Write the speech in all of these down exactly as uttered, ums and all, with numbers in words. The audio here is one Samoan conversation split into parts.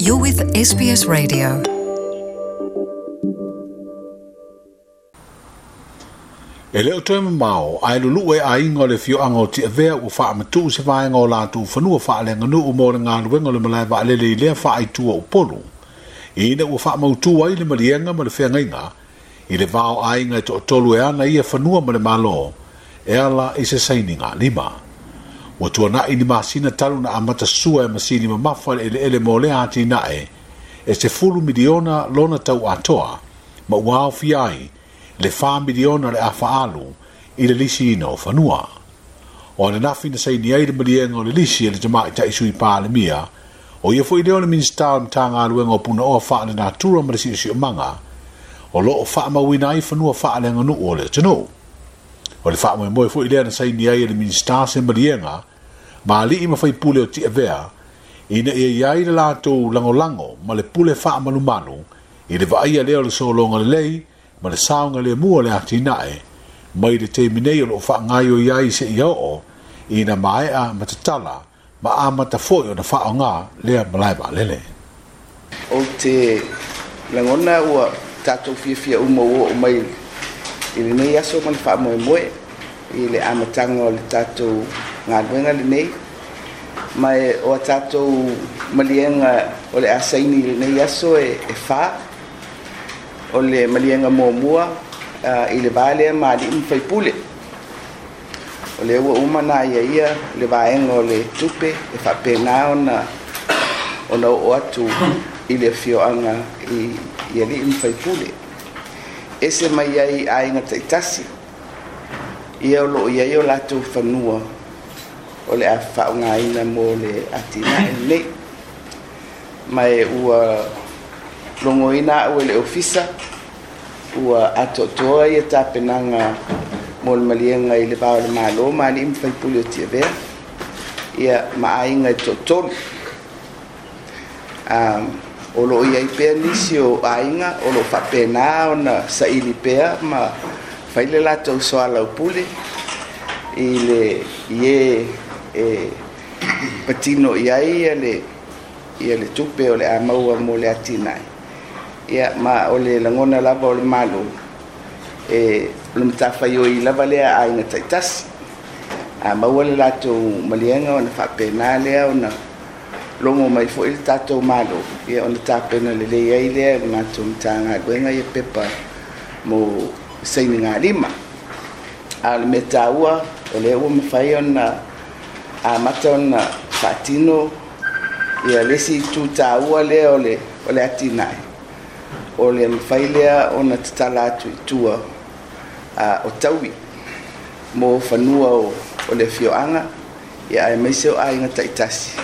You're with S B S Radio. E leo toe mamao, ai lulu e ainga o le fioanga o Tiavea ua whaamatu se vaenga o lātou whanua whaalenganuu mō le ngāluenga o le malae vaalele i lea whaaitua Upolu. Ina ua whaamautu ai le malienga ma le wheangaiga, i le vao ainga e to'atolu e ana ia whanua ma le malo, e ala i se saininga lima. Ua tuanai ni masina talu na amata sua e masini mamafa le ele ele mō lea ati nae, e se fulu miliona lona tau atoa, ma ua aofia ai, le wha miliona le awhaalu i le lisi ina o whanua. O ananafi na saini ai le malienga o le lisi e le tamai tai sui pālemia, o ia foi leo le minista o mtanga aluenga o puna oa wha le natura ma le sio manga, o loo wha mawina ai whanua wha le nganu o le tanu. O le wha moe foi lea na saini ai le minista se malienga, ma alii ma whai pule o Tiavea, ina ia iai le lātou langolango ma le pule wha malumalu, i le vaia leo le solonga le lei, ma le saunga le mua le ati nae, mai le te minei o lo wha ngaio iai se ia o, ina maea matatala, ma amata foi o na whaonga lea malae vaalele. O te langona ua tātou fiafia uma ua o mai i lenei aso ma le whaamoemoe, i le amatanga o le tātou ngāluenga lenei, mai o a tātou malienga o le asaini i lenei aso e, e wha, o le malienga muamua uh, i le vaalea ma alii ma faipule. O le ua uma nā ia ia le vaenga o le tupe e whapena ona ona o atu i le fioanga i, i alii ma faipule. Ese mai ai aiga taitasi, ia o loo iai o latou fanua o le a whaongaina mo le atinae lenei. Mai ua longoina au e le ofisa, ua atoatoa ia tapenaga mo le maliega i le va o le Malo ma alii ma faipule o Tiavea, ia ma aiga e toatolu. Um, o loo iai pea nisi o aiga o loo faapena ona saili pea ma fai le latou soalaupule i le i e e patino iai ia le ia le tupe o le a maua mo le atinae. Ia ma o le langona lava o le malo e o le matafaioi lava lea aiga taitasi. A maua le latou maliega ona faapena lea ona logo mai foi le tatou malo, ia ona tapena lelei ai lea le matou Matagaluega ia pepa mo sainiga lima. A o le mea taua o lea ua mafai ona amata ona faatino ia le isi itu taua lea o le o le atinae. O le mafai lea ona tatala atu i tua uh, o taui mo fanua o, o le fioanga, ia aemaise o aiga taitasi.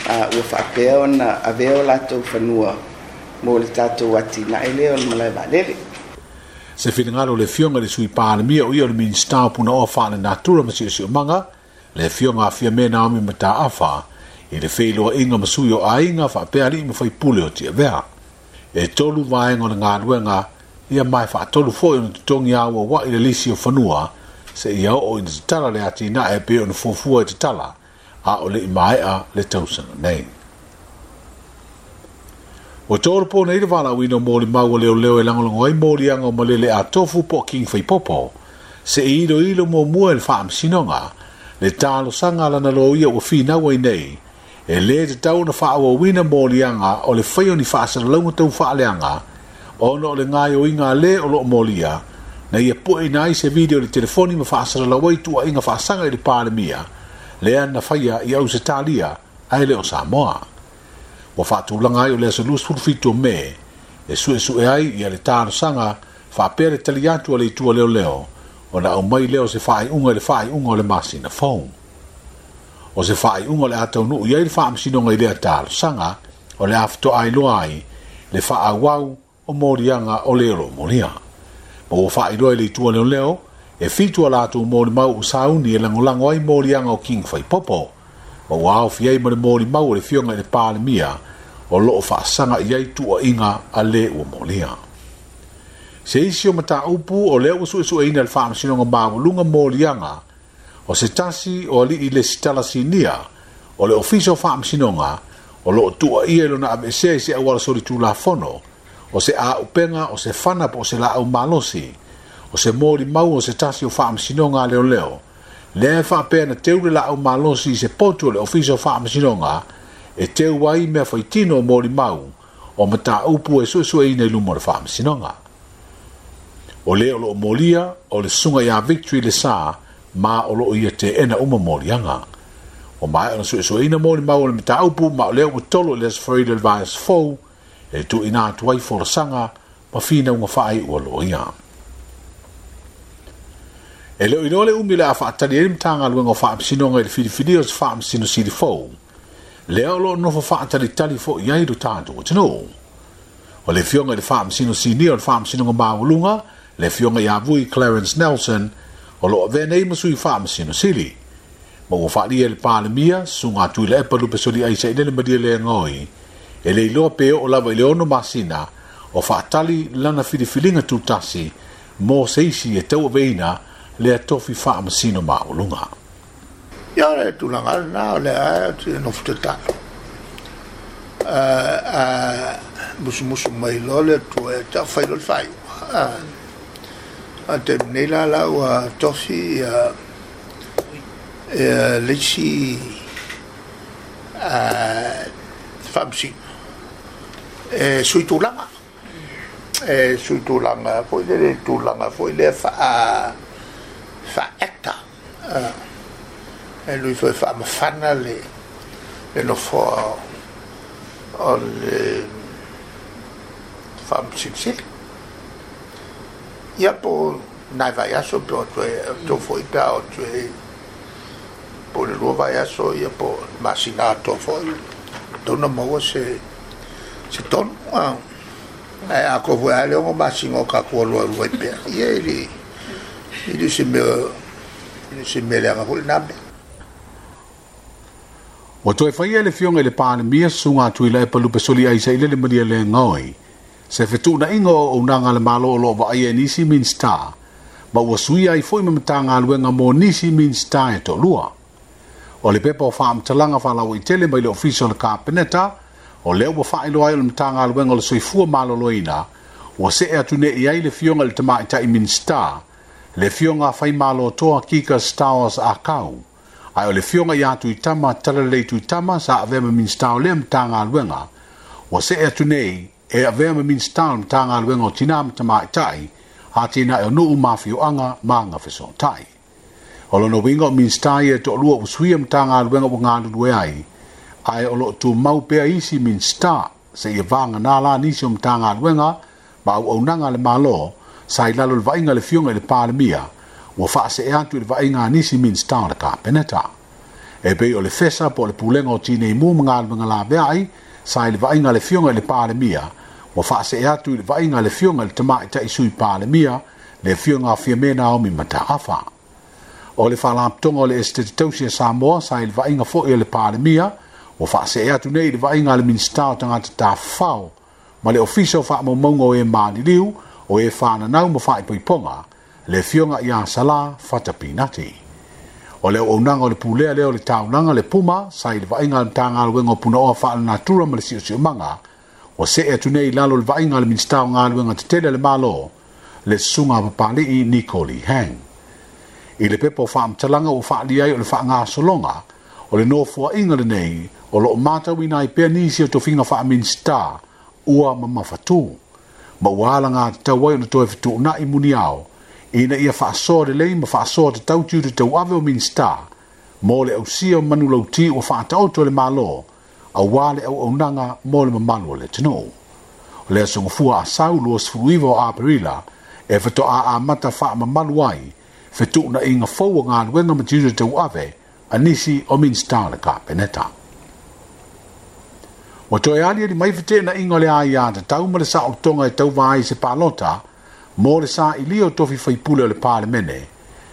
Uh, ua faapea ona avea o latou fanua mo le tatou atinae lea o le malae vaalele. Se finagalo le fioga le sui palemia o ia o le minista o puna oa wha le natura ma siosiomaga, le fioga a Fiame Naomi Mataafa, i le wheiloa inga ma sui o aiga whaapea alii ma faipule o Tiavea. E tolu vaenga o le ngāluenga, ia mai whaatolu foi ona totongi aua wa i le lisi o whanua, se ia o ina tatala le ati nae pe ona fuafua i tatala, a o le imaea le tausanga nei. O tōru pō nei le wālauina o mōli maua leo leo e langolango ai mōlianga o malele a tofu po King Faipopo, se i ilo ilo mō mua e le whaamsinonga, le tālosanga lana lo ia ua whinaua i nei, e le te tau na whaawawina mōlianga o le whai o ni whaasalalaunga tau whaaleanga, ona o le ngai o inga le o loo mōlia, na ia poe nai se video le telefoni ma whaasalalawai tua inga whaasanga i le pālemia, lea na whaia i au se tālia, ai le o Samoa. Ua whaatulanga ai o le aso luasefulu fitu o Me, e sue sue ai ia le tālosanga, whaapea le tali atu a le itua leo leo, o na au mai leo se whaaiunga i le whaaiunga o le masina fou. O se whaaiunga o le ataunu i ai le whaamsinonga i lea tālosanga, o le awhitoa ai loa ai, le whaawau o mōrianga o le ro moria. Ma ua whaailoa i le itua leo leo, e fitu a lātou mōri mau o sauni e langolango ai mōrianga o King Faipopo. Ma ua aofi ai ma le mōri mau o le fioga i le pālemia, o loo whaasanga i ai tua inga a le ua molia. Se isi o mataupu o lea ua suesueina le whaamasinonga mawalunga mōrianga, o se tasi o alii le sitala sinia, o le ofisa o whaamasinonga, O loo tua ia i lona aveesea i se auala solitulafono, o se aupenga, o se fana po o se laau malosi, o se molimau o se tasi o faamasinoga a leoleo, lea e faapea na teu le laau malosi i se potu o le Ofisa o Faamasinoga, e teu ai mea faitino o molimau o mataupu e suesueina i luma o le faamasinoga. O le o loo molia o le susuga ia Victory Le Sa ma o loo ia teena uma moliaga. O maea ona suesueina molimau o le mataupu ma o lea ua tolo i le Aso Faraile o le vaiaso fou e tuuina atu ai folasaga ma finauga faaiu a loia. E le o iloa le umi o le a faatali ai le Matagaluega o Faamasinoga i le filifilia o se faamasino sili fou, lea o loo nofo faatalitali foi ai lo tatou atunuu. O le afioga i le faamasino sinia o le Faamasinoga Maualuga, le afioga ia Vui Clarence Nelson, o loo avea nei ma sui faamasino sili. Ma ua faalia e le Palemia, susuga Tuilaepa Lupesoliai Sailele Malielegaoi, e le iloa pe oo lava i le ono masina o faatali lana filifiliga tutasi mo se isi e tauaveina lea tofi faamasino maualuga. Ia o le tulaga lena o lea e nofo tatalo. A musumusu mai loa le Atua ia te au fai loa le faaiuga. A taimi nei la la ua tofi ia le isi faamasino e sui tulaga. E sui tulaga foi lele tulaga foi lea faa faa-actor. E lui foi faamafana le le nofoa o le faamasilisili. Ia po nai vaiaso pe o toe tou foi pe a o toe po le lua vaiaso ia po masina atoa foi tauna maua se se tonu. Ae a ko foi a le ono masina o tatou alu alu ai pea. Ia e le e le se mea e le se mea leaga foi lena mea. Ua toe faia e le afioga i le Palemia susuga Tuilaepa Lupesoliai Sailele Malielegaoi se fetuunaiga o auaunaga a le Malo o loo vaaia e nisi Minisita, ma ua suia ai foi ma Matagaluega mo nisi Minisita e toalua. O le pepa o faamatalaga faalauaitele mai le Ofisa o le Kapeneta, o lea ua faailoa ai o le Matagaluega o le Soifua Maloloina, ua see atu nei i ai le afioga i le Tamaitai Minisita, le afioga Faimalotoa Kika Stowers Akau, ae o le afioga ia Tuitama Talalelei Tuitama sa avea ma Minisita o lea Matagaluega, ua see atu nei e avea ma Minisita o le Matagaluega o Tina ma Tamaitai, atinae o nuu ma afioaga ma agafesootai. O lona uiga o Minisita ia e toalua ua suia Matagaluega ua galulue ai, ae o loo tumau pea isi Minisita seia vagana la nisi o Matagaluega ma auaunaga a le Malo sa i lalo i le vaaiga a le afioga i le Palemia, ua faasee atu i le vaaiga a nisi Minisita o le Kapeneta. E pei o le FESA po o le Pulega o Tineimu ma Galuega Laveai sa i le vaaiga a le afioga i le Palemia, ua faasee atu i le vaaiga a le afioga i le Tamaitai Sui Palemia, le afioga a Fiame Naomi Mataafa. O le Faalapotopotoga o le Esetete Tausi a Samoa sa i le vaaiga foi a le Palemia, ua faasee atu nei i le vaaiga a le Minisita o Tagata Tafafao ma le Ofisa o Faamaumauga o e Maliliu, o e Fananau ma Faaipoipoga, le afioga ia Sala Fata Pinati. O le auaunaga o le pulea lea o le taulaga le Puma sa i le vaaiga a le Matagaluega o Punaoa Faalenatura ma le Siosiomaga, ua see atu nei i lalo o le vaaiga a le Minisita o Galuega Tetele a le Malo, le susuga a Papali'i Niko Lee Hang. I le pepa o faamatalaga ua faaalia ai o le faagasologa o le nofoaiga lenei o loo matauina ai pea nisi o tofiga faa-Minisita ua mamafatu, ma ua alagatatau ai ona toe fetuunai muniao ina ia faasoa lelei ma faasoa tatau tiute tauave o Minisita mo le ausia o manulauti ua faataoto e le Malo aua le auaunaga mo le mamalu o le atunuu. O le aso Gafua Asau luasefulu iva o Aperila e faatoa amata faamamalu ai fetuunaiga fou o galuega ma tiute tauave a nisi o Minisita o le Kapeneta. Ua toe aliali mai feteenaiga o le aiatatau ma le saolotoga e tauva ai se palota mo le sailia o tofi faipule o le Palemene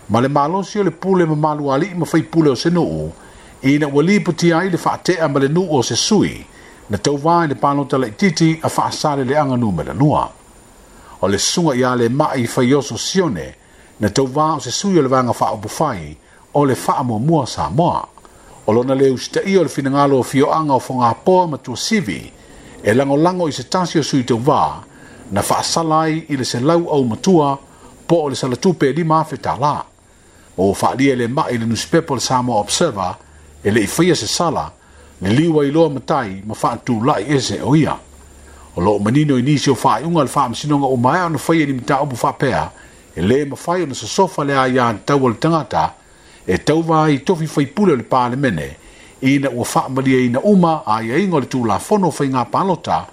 ma le malosi o le pule mamalu a alii ma faipule o se nuu ina ua lipotia ai le faatea ma le nuu o se sui na tauva i le palota laitiiti a Faasaleleaga numera lua. O le susuga ia Lemai Faioso Sione na tauva o se sui o le Vaega Faaupufai o le Faamuamua Samoa. O lona le usitaia o le finagalo o afioaga o Fogapoa ma Tuasivi e lagolago i se tasi o sui tauvā na faasala ai i le selau aumatua po o le salatupe e lima afe tālā. Ma ua faaalia e le mai i le nusipepa o le Samoa Observer e le i faia se sala, liliu ai loa matai ma faatulai ese o ia. O loo manino i nisi o faaiuga a le faamasinoga ua maea ona faia i ni mataupu faapea, e lē mafai ona sosofa le aiatatau a le tagata e tauva ai i tofi faipule o le Palemene ina ua faamalieina uma aiaiga o le Tulafono o Faiga Palota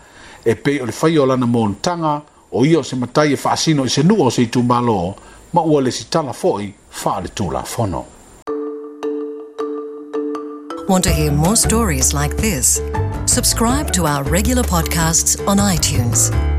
e pei o le faia o lana monotaga o ia o se matai e faasino i se nuu o se itumalo ma ua lesitala foi faaletulafono. Want to hear more stories like this? Subscribe to our regular podcasts on iTunes.